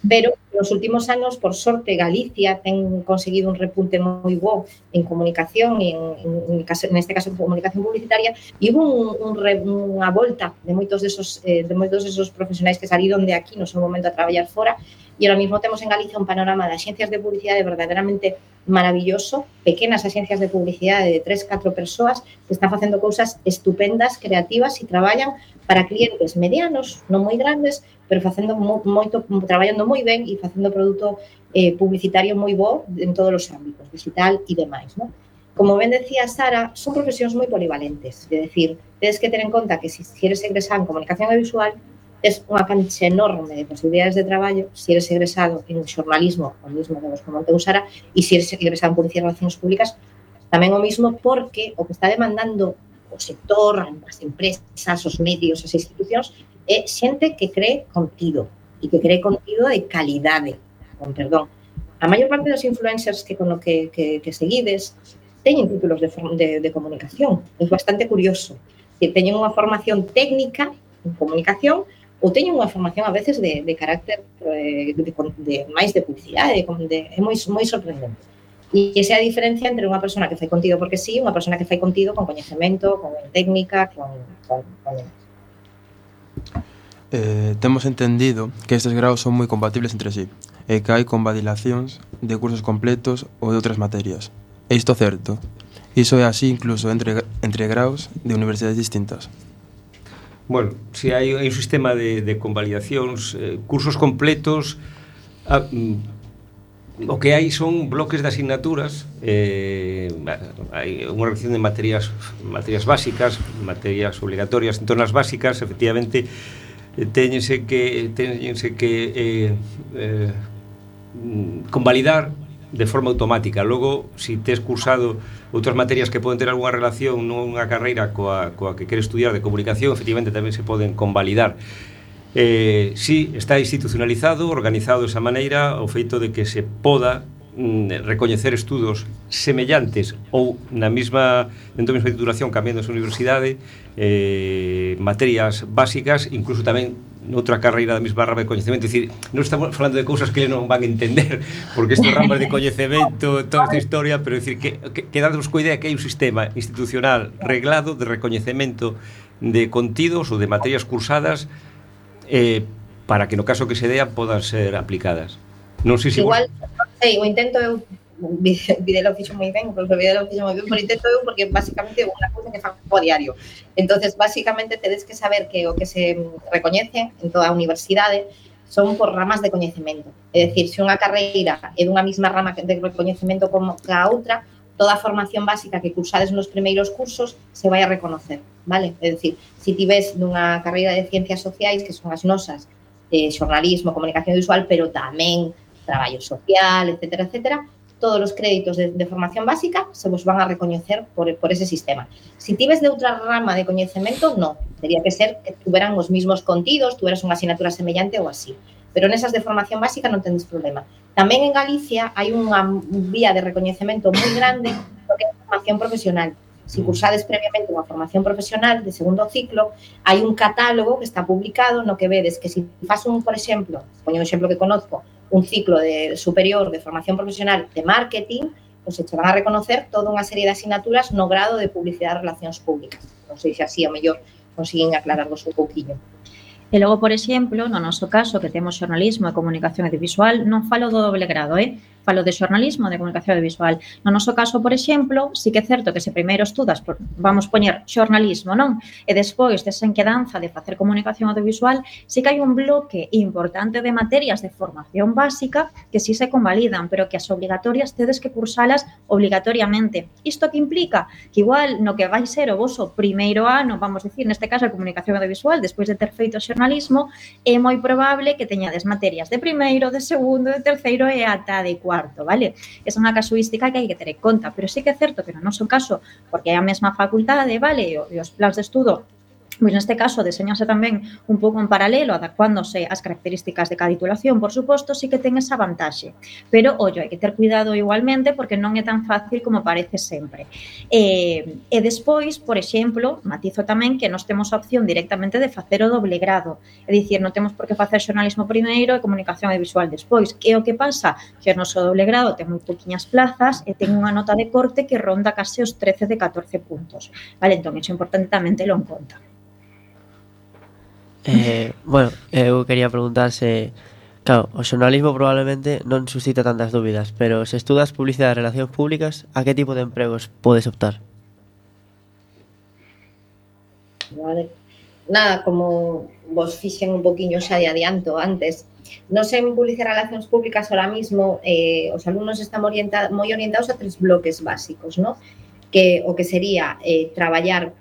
Pero, nos últimos anos, por sorte, Galicia ten conseguido un repunte moi bo en comunicación e en, en, en este caso en comunicación publicitaria, e hubo un, un re, unha volta de moitos desos, eh, de moitos desos profesionais que saliron de aquí no seu momento a traballar fora, e ahora mismo temos en Galicia un panorama de axencias de publicidade verdadeiramente maravilloso, pequenas axencias de publicidade de tres, catro persoas que están facendo cousas estupendas, creativas e traballan para clientes medianos, non moi grandes, pero facendo mo, moito, traballando moi ben e facendo produto eh, publicitario moi bo en todos os ámbitos, digital e demais, non? Como ben decía Sara, son profesións moi polivalentes, é dicir, tedes que ter en conta que se si queres egresar en comunicación audiovisual, es unha cancha enorme de posibilidades de traballo se eres egresado en xornalismo, o mismo que vos comentou Sara, e se eres egresado en publicidade e relacións públicas, tamén o mismo, porque o que está demandando o sector, as empresas, os medios, as institucións, é xente que cree contido e que cree contido de calidade, con perdón. A maior parte dos influencers que con o que, que, que seguides teñen títulos de, de, de comunicación. É bastante curioso. Que teñen unha formación técnica en comunicación ou teñen unha formación a veces de, de carácter de, de, de máis de publicidade, de, de, é moi, moi sorprendente. E esa é a diferencia entre unha persona que fai contido porque sí e unha persona que fai contido con coñecemento, con técnica, con... con, con... Eh, temos entendido que estes graus son moi compatibles entre sí e que hai convalidacións de cursos completos ou de outras materias. É isto certo? Iso é así incluso entre, entre graus de universidades distintas? Bueno, se hai un sistema de, de convalidacións, eh, cursos completos, ah, mm, o que hai son bloques de asignaturas, eh, hai unha relación de materias, materias básicas, materias obligatorias. Entón, as básicas, efectivamente, teñense que, teñense que eh, eh, convalidar de forma automática. Logo, se si tes cursado outras materias que poden ter algunha relación nunha carreira coa, coa que queres estudiar de comunicación, efectivamente tamén se poden convalidar. Eh, si está institucionalizado, organizado de esa maneira, o feito de que se poda mm, recoñecer estudos semellantes ou na mesma, dentro da mesma titulación, cambiando esa universidade, eh, materias básicas, incluso tamén noutra carreira da mesma rama de coñecemento. É dicir, non estamos falando de cousas que non van a entender, porque estes ramas de coñecemento, toda esta historia, pero é dicir, que, que, que dadnos coa idea que hai un sistema institucional reglado de recoñecemento de contidos ou de materias cursadas eh, para que no caso que se dean podan ser aplicadas. Non sei se igual, vos... non sei, o intento eu Videla o fixo moi ben, porque Videla o fixo moi ben, por intento eu, porque basicamente é unha cousa que fago a diario. Entonces, basicamente, tedes que saber que o que se recoñece en toda a universidade son por ramas de coñecemento. É dicir, se unha carreira é dunha mesma rama de recoñecemento como a outra, toda a formación básica que cursades nos primeiros cursos se vai a reconocer, vale? É dicir, se ti ves nunha carreira de ciencias sociais, que son as nosas, eh, xornalismo, comunicación visual, pero tamén traballo social, etcétera, etcétera, todos os créditos de, de formación básica se vos van a recoñecer por, por ese sistema. Si tives de outra rama de coñecemento, non. Tería que ser que tuveran os mismos contidos, tuveras unha asignatura semellante ou así. Pero nesas de formación básica non tendes problema. Tamén en Galicia hai unha vía de recoñecemento moi grande porque é formación profesional. Si cursades previamente unha formación profesional de segundo ciclo, hai un catálogo que está publicado no que vedes que se si faz un, por exemplo, poño un exemplo que conozco, un ciclo de superior de formación profesional de marketing, pois se van a reconocer toda unha serie de asignaturas no grado de publicidade e relacións públicas. Non sei se así, ao mellor, consiguen aclararvos un pouquinho. E logo, por exemplo, no noso caso, que temos xornalismo e comunicación audiovisual, non falo do doble grado, eh? Falo de xornalismo e de comunicación audiovisual. No noso caso, por exemplo, sí que é certo que se primeiro estudas, por, vamos poñer xornalismo, non? E despois desa enquedanza de facer comunicación audiovisual, sí que hai un bloque importante de materias de formación básica que sí se convalidan, pero que as obligatorias tedes que cursalas obligatoriamente. Isto que implica? Que igual no que vai ser o voso primeiro ano, vamos dicir, neste caso a comunicación audiovisual, despois de ter feito xornalismo, é moi probable que teñades materias de primeiro, de segundo, de terceiro e ata de cuarto, vale? Esa é unha casuística que hai que ter en conta, pero sí que é certo que no noso caso, porque é a mesma facultade, vale, e os plans de estudo, pois neste caso deseñase tamén un pouco en paralelo, adaptándose ás características de cada titulación, por suposto, sí que ten esa vantaxe. Pero, ollo, hai que ter cuidado igualmente porque non é tan fácil como parece sempre. E, e despois, por exemplo, matizo tamén que nós temos a opción directamente de facer o doble grado. É dicir, non temos por que facer xornalismo primeiro e comunicación audiovisual despois. Que é o que pasa? Que o noso doble grado ten moi poquinhas plazas e ten unha nota de corte que ronda case os trece de catorce puntos. Vale, entón, iso é importante tamén telo en conta. Eh, bueno, eu quería preguntar se, claro, o xornalismo probablemente non suscita tantas dúbidas, pero se estudas publicidade e relacións públicas, a que tipo de empregos podes optar? Vale. Nada, como vos fixen un poquinho xa de adianto antes, non sei en publicidade e relacións públicas ahora mismo, eh, os alumnos están orienta, moi orientados a tres bloques básicos, ¿no? Que o que sería eh, traballar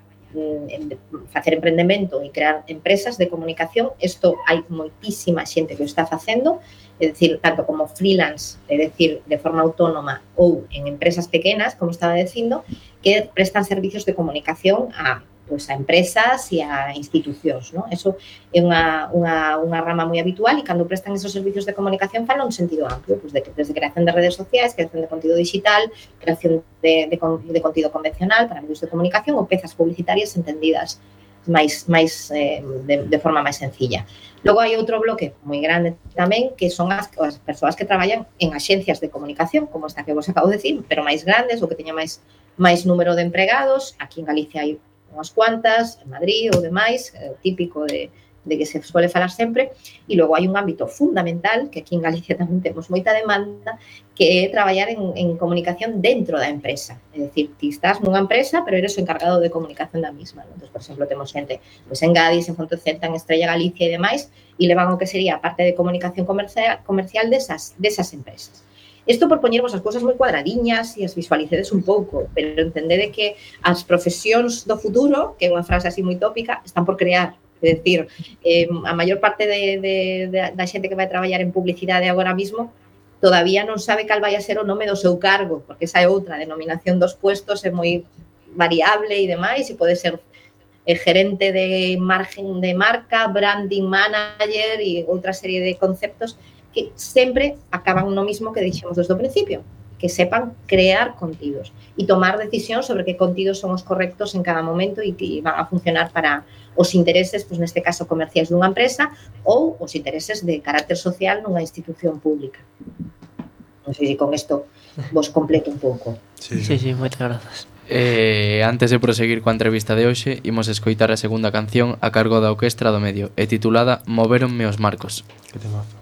facer emprendemento e crear empresas de comunicación. Isto hai moitísima xente que o está facendo, é dicir, tanto como freelance, é dicir, de forma autónoma ou en empresas pequenas, como estaba dicindo, que prestan servicios de comunicación a, pues, a empresas e a institucións, ¿no? Eso é unha, unha, unha rama moi habitual e cando prestan esos servicios de comunicación falan un sentido amplio, pues, de, desde creación de redes sociais, creación de contido digital, creación de, de, de contido convencional para medios de comunicación ou pezas publicitarias entendidas máis, máis eh, de, de forma máis sencilla. Logo hai outro bloque moi grande tamén que son as, as persoas que traballan en axencias de comunicación, como esta que vos acabo de decir, pero máis grandes ou que teña máis, máis número de empregados. Aquí en Galicia hai unhas cuantas, en Madrid ou demais, eh, típico de, de que se suele falar sempre, e logo hai un ámbito fundamental, que aquí en Galicia tamén temos moita demanda, que é traballar en, en comunicación dentro da empresa. É dicir, ti estás nunha empresa, pero eres o encargado de comunicación da misma, ¿no? Entón, por exemplo, temos xente pues, en Gadis, en Fontecenta, en Estrella Galicia e demais, e levan o que sería a parte de comunicación comercial, comercial desas, desas empresas. Isto por poñervos as cousas moi cuadradiñas e as visualicedes un pouco, pero entendede que as profesións do futuro, que é unha frase así moi tópica, están por crear. É dicir, eh, a maior parte de, de, de, da xente que vai traballar en publicidade agora mismo todavía non sabe cal vai a ser o nome do seu cargo, porque esa é outra, a denominación dos puestos é moi variable e demais, e pode ser eh, gerente de margen de marca, branding manager e outra serie de conceptos que sempre acaban no mismo que dixemos desde o principio, que sepan crear contidos e tomar decisións sobre que contidos son os correctos en cada momento e que van a funcionar para os intereses, pues neste caso comerciais dunha empresa ou os intereses de carácter social nunha institución pública. Non sei se con isto vos completo un pouco. Sí, sí, sí, moitas grazas. Eh, antes de proseguir coa entrevista de hoxe, imos escoitar a segunda canción a cargo da Orquestra do Medio e titulada Movéronme os marcos. Que temazo.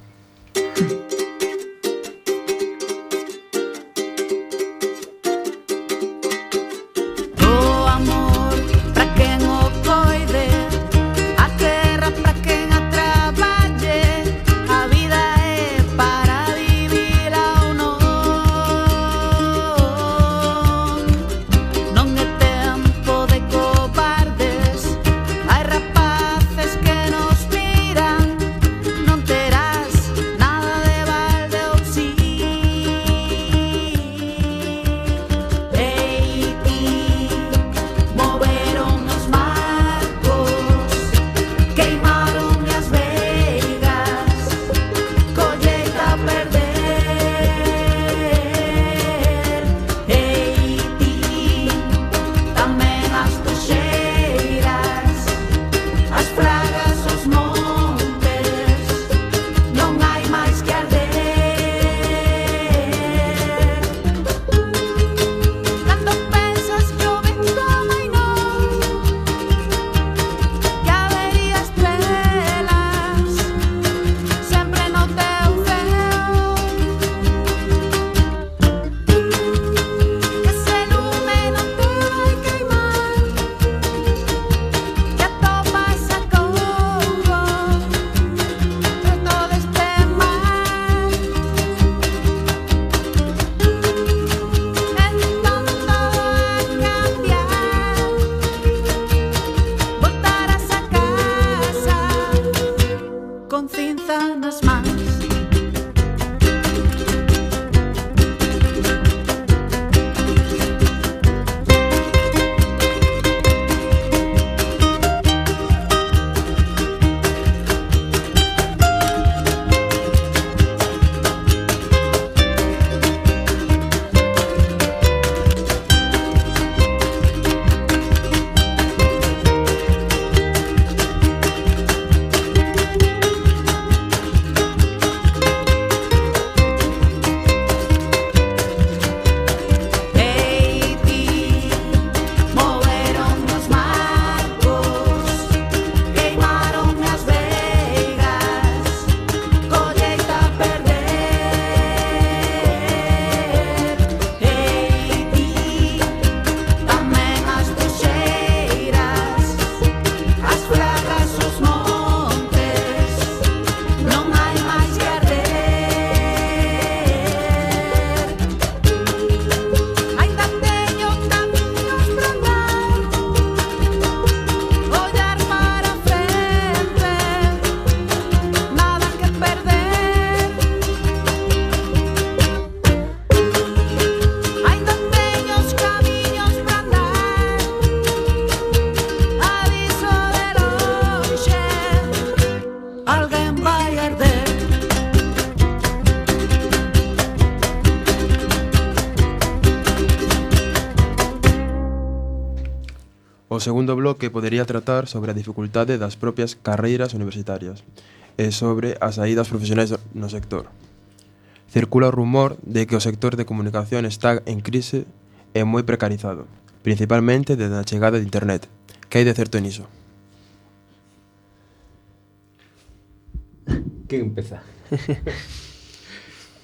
Hai rapaces que nos miran, non terás O segundo bloque podería tratar sobre a dificultade das propias carreiras universitarias e sobre as saídas profesionais no sector. Circula o rumor de que o sector de comunicación está en crise e moi precarizado, principalmente desde a chegada de internet. Que hai de certo niso? Que empeza?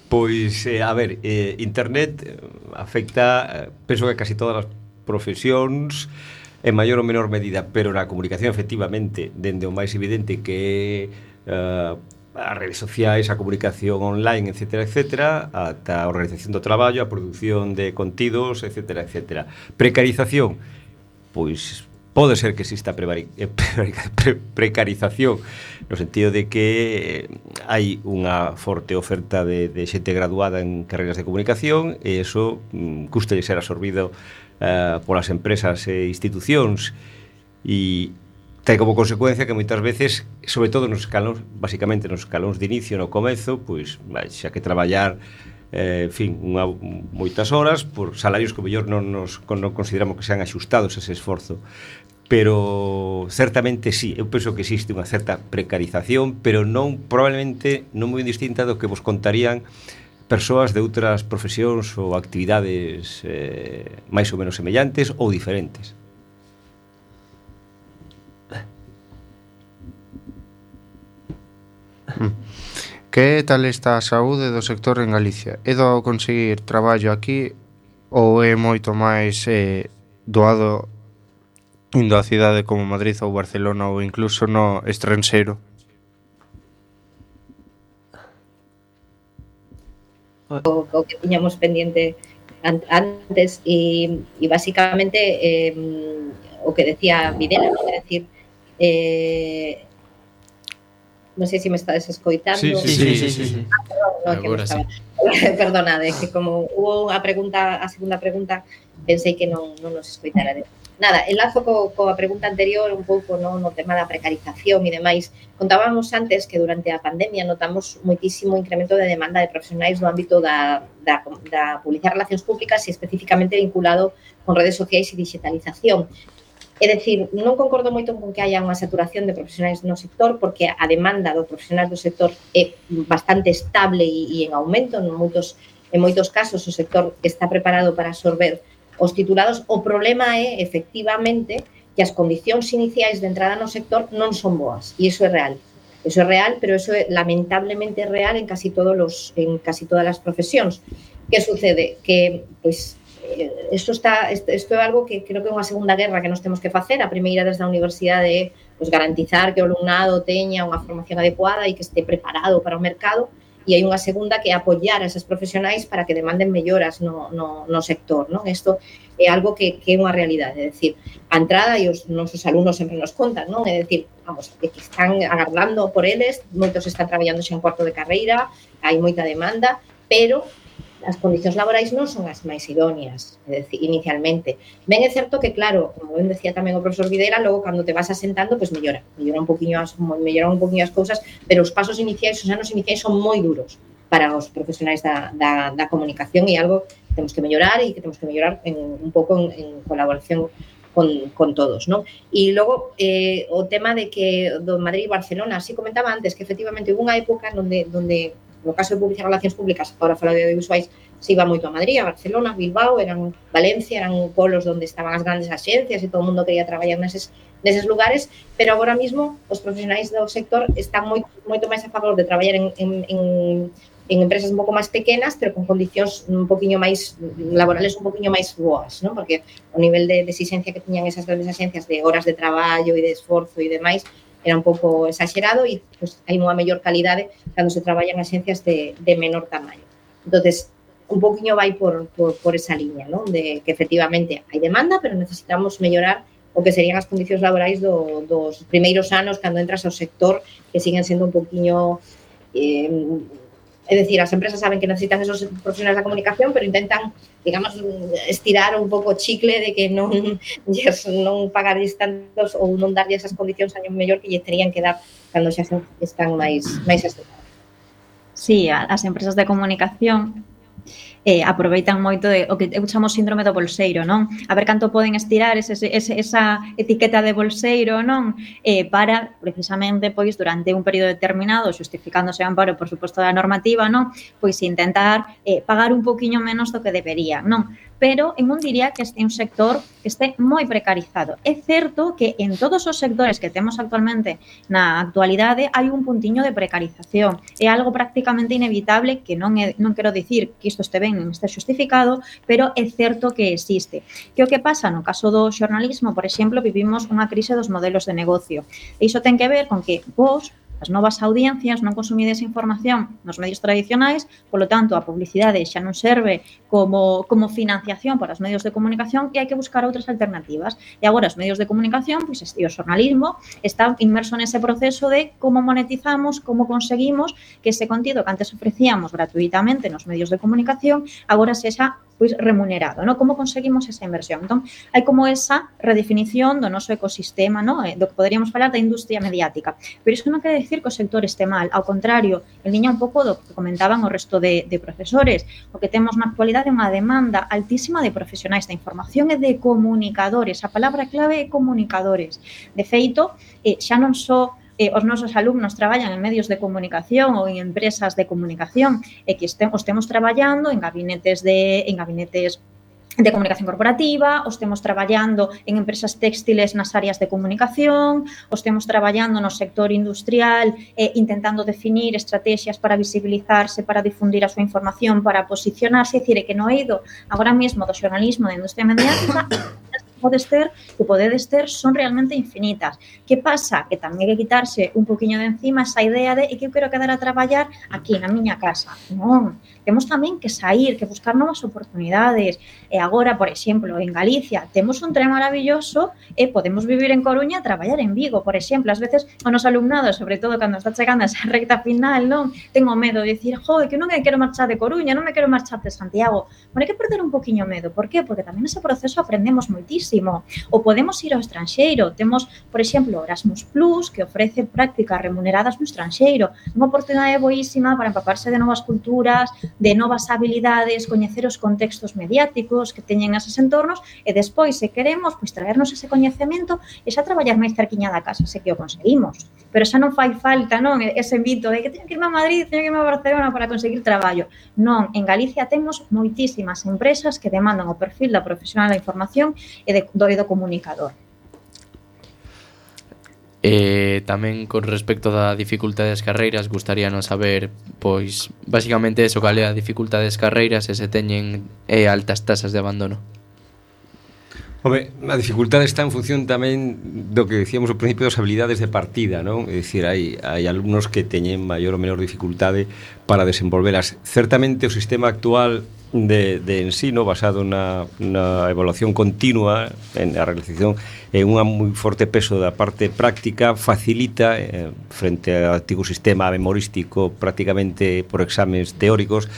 Pois, eh, a ver, eh, internet eh, afecta, eh, penso que casi todas as profesións en maior ou menor medida, pero na comunicación efectivamente, dende o máis evidente que é uh, as redes sociais, a comunicación online, etcétera, etcétera, ata a organización do traballo, a produción de contidos, etcétera, etcétera. Precarización, pois pode ser que exista prevari, pre, precarización no sentido de que hai unha forte oferta de, de xente graduada en carreiras de comunicación e iso mm, custa de ser absorbido uh, polas empresas e institucións e ten como consecuencia que moitas veces, sobre todo nos escalóns, basicamente nos escalóns de inicio, no comezo, pois xa que traballar eh, en fin, unha, moitas horas por salarios que mellor non nos non consideramos que sean axustados ese esforzo. Pero certamente sí, eu penso que existe unha certa precarización, pero non probablemente non moi distinta do que vos contarían persoas de outras profesións ou actividades eh, máis ou menos semellantes ou diferentes. Que tal está a saúde do sector en Galicia? É doado conseguir traballo aquí ou é moito máis eh, doado indo a cidade como Madrid ou Barcelona ou incluso no estranxeiro? O, o que tiñamos pendiente an, antes e, e basicamente eh, o que decía Videla, ¿no? É decir, eh, non sei se me estades escoitando. Sí, sí, sí, sí, sí, sí. Ah, perdón, no, que me estaba... sí. Perdonade, que como hubo a pregunta, a segunda pregunta, pensei que non, non nos escoitara. Nada, enlazo co, coa pregunta anterior un pouco no, no tema da precarización e demais. Contábamos antes que durante a pandemia notamos moitísimo incremento de demanda de profesionais no ámbito da, da, da publicidade e relacións públicas e especificamente vinculado con redes sociais e digitalización. É dicir, non concordo moito con que haya unha saturación de profesionais no sector porque a demanda dos profesionais do sector é bastante estable e, e en aumento. En moitos, en moitos casos o sector está preparado para absorber os titulados. O problema é, efectivamente, que as condicións iniciais de entrada no sector non son boas e iso é real. Iso é real, pero iso é lamentablemente real en casi todos los, en casi todas as profesións. Que sucede? Que, pois, isto está isto é algo que creo que é unha segunda guerra que nos temos que facer. A primeira desde a universidade é pues, garantizar que o alumnado teña unha formación adecuada e que este preparado para o mercado, e hai unha segunda que é apoiar a esas profesionais para que demanden melloras no, no, no sector, non? Isto é algo que, que é unha realidade, é dicir, a entrada e os nosos alumnos sempre nos contan, non? É dicir, vamos, que están agardando por eles, moitos están traballando xa en cuarto de carreira, hai moita demanda, pero as condicións laborais non son as máis idóneas, é dicir, inicialmente. Ben é certo que, claro, como ben decía tamén o profesor Videla, logo cando te vas asentando, pois mellora, mellora un poquinho as, mellora un poquinho as cousas, pero os pasos iniciais, os anos iniciais son moi duros para os profesionais da, da, da comunicación e algo que temos que mellorar e que temos que mellorar en, un pouco en, en colaboración con, con todos, non? E logo, eh, o tema de que do Madrid e Barcelona, así comentaba antes, que efectivamente hubo unha época onde, onde no caso de publicidade e relacións públicas, agora falo de audiovisuais, se iba moito a Madrid, a Barcelona, a Bilbao, eran Valencia, eran polos onde estaban as grandes axencias e todo o mundo quería traballar neses, neses lugares, pero agora mismo os profesionais do sector están moito, moito máis a favor de traballar en, en, en, en empresas un pouco máis pequenas, pero con condicións un poquinho máis laborales un poquinho máis boas, non? Porque o nivel de, de exigencia que tiñan esas grandes axencias de horas de traballo e de esforzo e demais era un pouco exagerado e pues, hai unha mellor calidade cando se traballa en axencias de, de menor tamaño. Entonces, un poquinho vai por, por, por esa liña, ¿no? De que efectivamente hai demanda, pero necesitamos mellorar o que serían as condicións laborais do, dos primeiros anos cando entras ao sector, que siguen sendo un poquinho... Eh, é dicir, as empresas saben que necesitan esos profesionais da comunicación, pero intentan, digamos, estirar un pouco o chicle de que non, yes, non pagarlles tantos ou non darlle esas condicións año mellor que lle terían que dar cando xa están máis, máis estudadas. Sí, as empresas de comunicación eh, aproveitan moito de, o que eu chamo síndrome do bolseiro, non? A ver canto poden estirar ese, ese, esa etiqueta de bolseiro, non? Eh, para, precisamente, pois, durante un período determinado, justificándose o amparo, por suposto, da normativa, non? Pois intentar eh, pagar un poquinho menos do que deberían, non? Pero eu non diría que este é un sector que este moi precarizado. É certo que en todos os sectores que temos actualmente na actualidade hai un puntiño de precarización. É algo prácticamente inevitable que non, é, non quero dicir que isto este ben, non este justificado, pero é certo que existe. Que o que pasa no caso do xornalismo, por exemplo, vivimos unha crise dos modelos de negocio. E iso ten que ver con que vos, as novas audiencias, non consumides información nos medios tradicionais, polo tanto, a publicidade xa non serve como, como financiación para os medios de comunicación e hai que buscar outras alternativas. E agora os medios de comunicación, pois, e o xornalismo está inmerso nese proceso de como monetizamos, como conseguimos que ese contido que antes ofrecíamos gratuitamente nos medios de comunicación agora sexa pois remunerado, ¿no? Como conseguimos esa inversión? Entón, hai como esa redefinición do noso ecosistema, ¿no? Do que poderíamos falar da industria mediática. Pero iso non quere dicir que o sector este mal, ao contrario, en liña un pouco do que comentaban o resto de, de profesores. O que temos na actualidade é unha demanda altísima de profesionais da información e de comunicadores. A palabra clave é comunicadores. De feito, eh, xa non só Eh, os nosos alumnos traballan en medios de comunicación ou en empresas de comunicación e que estemos, estemos traballando en gabinetes de en gabinetes de comunicación corporativa, os temos traballando en empresas textiles nas áreas de comunicación, os temos traballando no sector industrial eh, intentando definir estrategias para visibilizarse, para difundir a súa información, para posicionarse, é dicir, que no eido agora mesmo do xornalismo da industria mediática podes ter, que podedes ter son realmente infinitas. Que pasa? Que tamén hai que quitarse un poquinho de encima esa idea de que eu quero quedar a traballar aquí na miña casa. Non, temos tamén que sair, que buscar novas oportunidades. E agora, por exemplo, en Galicia temos un tren maravilloso e podemos vivir en Coruña e traballar en Vigo, por exemplo. Ás veces o noso alumnado, sobre todo cando está chegando a esa recta final, non, tengo medo de dicir, jo, que non me quero marchar de Coruña, non me quero marchar de Santiago. Bueno, hai que perder un poquinho medo. Por qué? Porque tamén nese proceso aprendemos moitísimo. Ou podemos ir ao estranxeiro. Temos, por exemplo, Erasmus Plus, que ofrece prácticas remuneradas no estranxeiro. Unha oportunidade boísima para empaparse de novas culturas, de novas habilidades, coñecer os contextos mediáticos que teñen eses entornos e despois, se queremos, pois traernos ese coñecemento e xa traballar máis cerquiña da casa, se que o conseguimos. Pero xa non fai falta, non, ese invito de que teño que irme a Madrid, teño que irme a Barcelona para conseguir traballo. Non, en Galicia temos moitísimas empresas que demandan o perfil da profesional da información e de do, do comunicador. Eh, tamén con respecto da dificultade das carreiras, gustaríanos saber, pois, basicamente eso, cal é a dificultade das carreiras e se teñen eh, altas tasas de abandono. Home, a dificultade está en función tamén do que decíamos ao principio das habilidades de partida, non? É dicir, hai, hai alumnos que teñen maior ou menor dificultade para desenvolvelas. Certamente o sistema actual de, de ensino basado na, na evaluación continua, en a realización en un moi forte peso da parte práctica, facilita eh, frente ao antigo sistema memorístico prácticamente por exames teóricos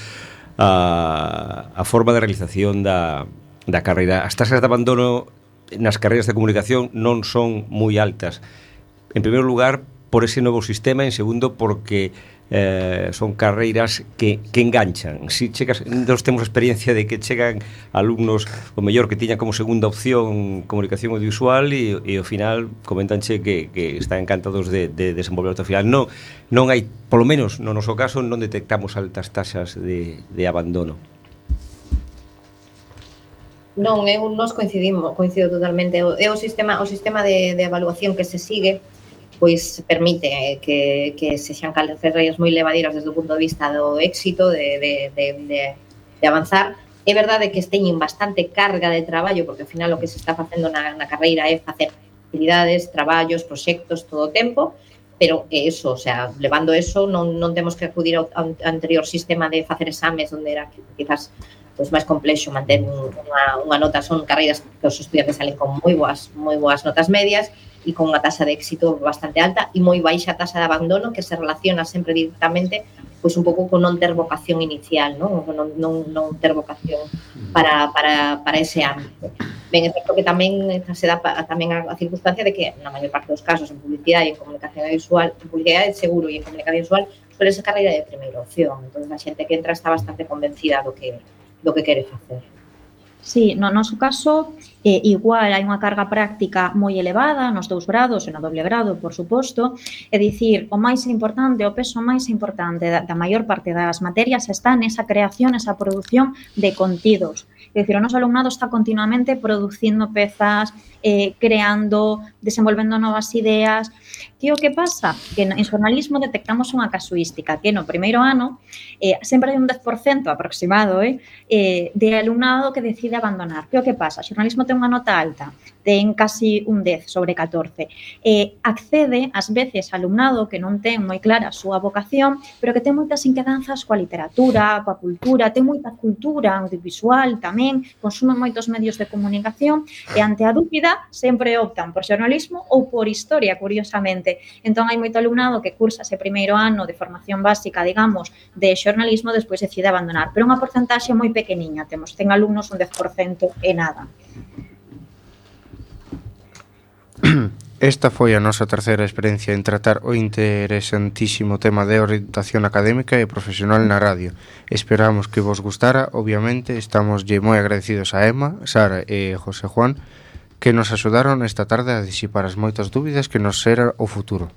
a, a forma de realización da da carreira. As tasas de abandono nas carreiras de comunicación non son moi altas. En primeiro lugar, por ese novo sistema, en segundo, porque eh, son carreiras que, que enganchan. Si chegas, nós temos a experiencia de que chegan alumnos, o mellor que tiñan como segunda opción comunicación audiovisual e, e ao final comentanche que, que están encantados de, de desenvolver ao final. Non, non hai, polo menos no noso caso, non detectamos altas tasas de, de abandono. Non, eu nos coincidimos, coincido totalmente. É o sistema, o sistema de, de evaluación que se sigue, pois permite que, que se xan carreiras moi levadeiras desde o punto de vista do éxito, de, de, de, de, de avanzar. É verdade que teñen bastante carga de traballo, porque ao final o que se está facendo na, na carreira é facer actividades, traballos, proxectos todo o tempo, pero que eso, o sea, levando eso, non, non temos que acudir ao, ao anterior sistema de facer exames, onde era quizás pois máis complexo manter unha, unha nota. Son carreiras que os estudiantes salen con moi boas, moi boas notas medias e con unha tasa de éxito bastante alta e moi baixa tasa de abandono que se relaciona sempre directamente pois un pouco con non ter vocación inicial, non, non, non, non ter vocación para, para, para ese ámbito. Ben, é certo que tamén se dá tamén a, a circunstancia de que na maior parte dos casos en publicidade e en comunicación visual, en publicidade seguro e en comunicación visual suele sacar a idea de primeira opción. Entón, a xente que entra está bastante convencida do que, do que quere facer. Sí, no noso caso, eh, igual hai unha carga práctica moi elevada nos dous grados e no doble grado, por suposto, é dicir, o máis importante, o peso máis importante da, da maior parte das materias está nesa creación, esa produción de contidos. É dicir, o noso alumnado está continuamente producindo pezas, eh, creando, desenvolvendo novas ideas. Que o que pasa? Que en xornalismo detectamos unha casuística, que no primeiro ano eh, sempre hai un dez por cento aproximado eh, eh, de alumnado que decide abandonar. Que o que pasa? O xornalismo ten unha nota alta, ten casi un dez sobre catorce. Eh, accede, ás veces, alumnado que non ten moi clara a súa vocación, pero que ten moitas inquedanzas coa literatura, coa cultura, ten moita cultura audiovisual tamén, consume moitos medios de comunicación e ante a dúbida sempre optan por xornalismo ou por historia, curiosamente. Entón, hai moito alumnado que cursa ese primeiro ano de formación básica, digamos, de xornalismo, despois decide abandonar. Pero unha porcentaxe moi pequeniña, temos cen alumnos, un dez por cento e nada. Esta foi a nosa terceira experiencia en tratar o interesantísimo tema de orientación académica e profesional na radio. Esperamos que vos gustara. Obviamente, estamos moi agradecidos a Emma, Sara e José Juan, que nos axudaron esta tarde a disipar as moitas dúbidas que nos era o futuro.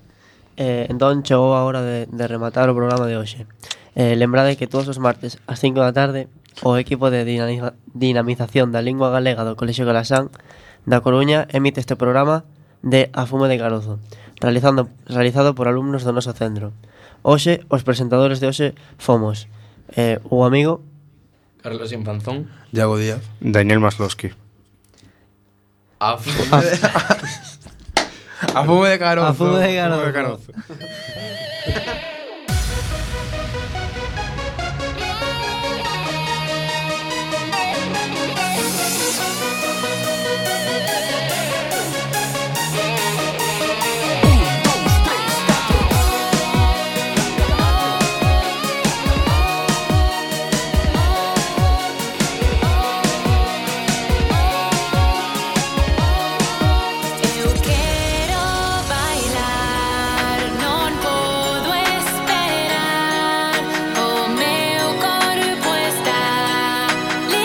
Eh, entón chegou a hora de, de rematar o programa de hoxe. Eh, lembrade que todos os martes ás cinco da tarde o equipo de dinamiza, dinamización da lingua galega do Colexio Galasán da Coruña emite este programa de A Fume de Carozo, realizando, realizado por alumnos do noso centro. Hoxe, os presentadores de hoxe fomos eh, o amigo Carlos Infanzón, Iago Díaz, Daniel Masloski. A fume de... A fume de carozo. A fume de carozo. A fume de carozo.